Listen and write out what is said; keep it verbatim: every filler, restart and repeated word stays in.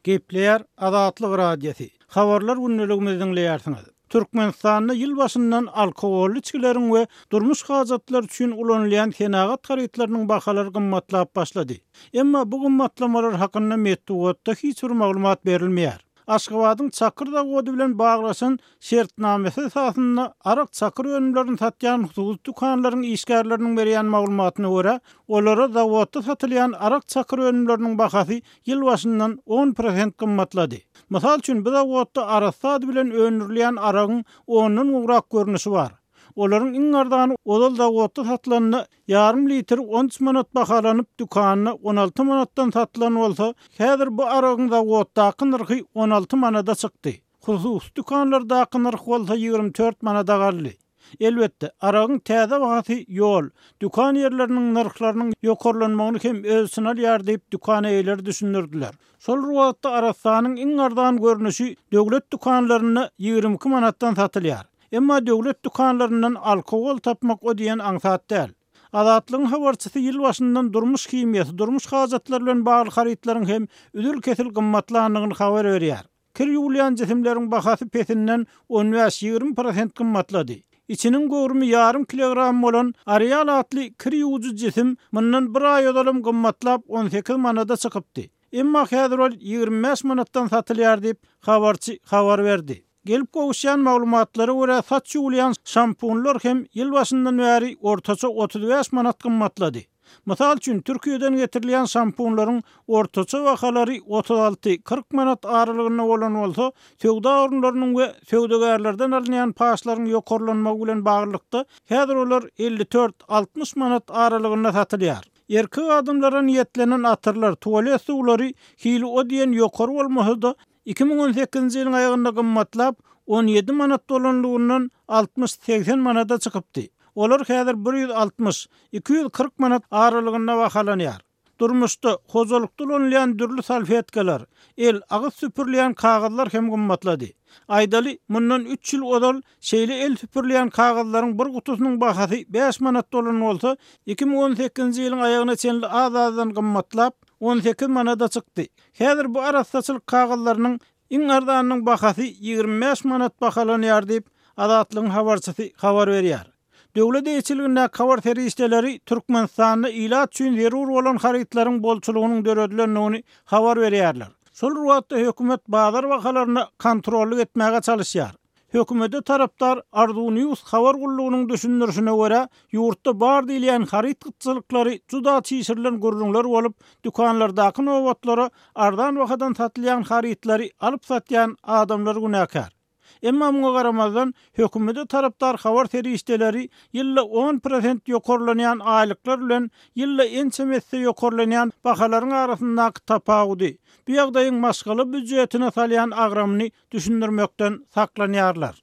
Gepleýär Azatlyk Radiosy. Habarlar gündeligimizi diňleýärsiňiz. Türkmenistanda ýyl başyndan alkogolly içgileriň we durmuş hajatlary üçin ulanylýan senagat harytlarynyň bahalary gymmatlap başlady. Emma bu gymmatlamalar hakynda metbugatda hiç bir maglumat berilmeýär. Aşgabadyň çakyr zawody bilen baglaşan şertnamesi esasynda arak çakyr önümlerini satýan hususy dükanlaryň işgärleriniň berýän maglumatyna görä, olara zawodda satylýan arak çakyr önümleriniň bahasy ýyl başyndan on prosent gymmatlady. Mysal üçin, bu zawodda arassa ady bilen öndürilýän aragyň ondan gowrak görnüşi bar. Olaryň iň arzany ozal zawodda satylanda ýarym litr on üç manat bahalanyp, dükanda on alty manatdan satylan bolsa, häzir bu aragyň zawoddaky nyrhy on alty manada çykdy. Hususy dükanlardaky nyrh bolsa ýigrimi dört manada galdy. Elbetde, aragyň täze bahasy ýol, dükan ýerleriniň nyrhlarynyň ýokarlanmagyny hem öz içine alýar diýip dükan eýeleri düşündirdiler. Şol bir wagtda arassanyň iň arzan görnüşi döwlet dükanlarynda ýigrimi iki manatdan satylýar. Emma döwlet dükanlaryndan alkogol tapmak o diýen aňsat däl. Azatlygyň habarçysy ýyl başyndan durmuş himiýasy, durmuş hajatlary bilen bagly harytlaryň hem üzül-kesil gymmatlandygyny habar berýär. Kir ýuwulýan jisimleriň bahasy pesinden on bäş-ýigrimi prosent gymmatlady. Içiniň göwrümi ýarym kilogram bolan Arial atly kir ýuwujy jisim mundan bir aý ozalam gymmatlap on sekiz manada çykypdy. Emma häzir ol ýigrimi bäş manatdan satylýar diýip habarçy habar berdi. Gelip gowuşýan maglumatlara görä saç ýuwulýan şampunlar hem ýyl başyndan bäri ortaça otuz bäş manat gymmatlady. Mysal üçin, Türkiýeden getirilýän şampunlaryň ortaça bahalary otuz alty, kyrk manat aralygynda bolan bolsa, söwda orunlarynyň we söwdagärlerden alynýan paşlaryň ýokarlanmagy bilen baglylykda häzir olar elli dört, altmyş manat aralygynda satylýar. Erkek adamlara niýetlenen atyrlar, tuwalet suwlary hili o diýen ýokary bolmasa-da, iki müň on sekizinji ýylyň aýagynda gymmatlap, on ýedi manat bolanlygyndan altmyş segsen manada çykypdy. Olar häzir bir ýüz altmyş, iki ýüz kyrk manat aralygynda bahalanýar. Durmuşda hojalykda ulanylýan dürli salfetkalar, el, agyz süpürilýän kagyzlar hem gymmatlady. Aýdaly, mundan üç ýyl ozal şeýle el süpürilýän kagyzlaryň bir gutusynyň bahasy bäş manat bolan bolsa, iki müň on sekizinji ýylyň aýagyna çenli az-azdan gymmatlap, on sekiz manada çykdy. Häzir bu arassaçylyk kagyzlarynyň iň arzanynyň bahasy ýigrimi bäş manat bahalanýar diýip, Azatlygyň habarçysy habar berýär. Döwlet eýeçiligindäki habar serişdeleri Türkmenistanda ilat üçin zerur bolan harytlaryň bolçulygynyň döredilendigini habar berýärler. Şol bir wagtda hökümet bazar bahalaryna kontrollyk etmäge çalışýar. Hökümete tarapdar Arzu News habar gullugynyň düşündirişine görä, ýurtda bar diýilýän haryt gytçylyklary juda çişirilen gürrüňler bolup, dükanlardaky nobatlara arzan bahadan satylýan harytlary alyp satýan adamlar günäkär. Emma muňa garamazdan, hökümete tarapdar habar serişdeleri ýylda on prosent ýokarlanýan aýlyklar bilen ýylda ençeme esse ýokarlanýan bahalaryň arasyndaky tapawudy, bu ýagdaýyň maşgala býujetine salýan agramyny düşündirmekden saklanýarlar.